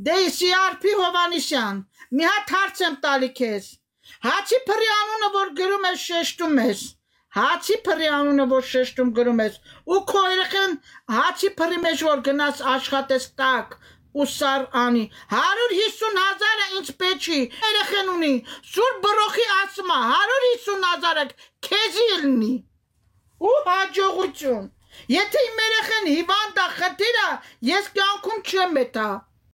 Դեյսի Արփի Հովանիսյան, մի հատ հարց եմ տալի քեզ։ Հացի փռի անունը որ գրում ես շեշտում ես, հացի փռի անունը որ շեշտում գրում ես, ու քո երեխան հացի փռի մեջ որ գնաց աշխատես տակ ու սար անի, 150,000-ը ինձ պետք չի, երեխան ունի, սուր բրոխի ասում է, 150,000-ը քեզի լինի, ու հաջողություն, եթե իմ երեխան հիվանդ է խտիր է, ես կյանքում չեմ էտա,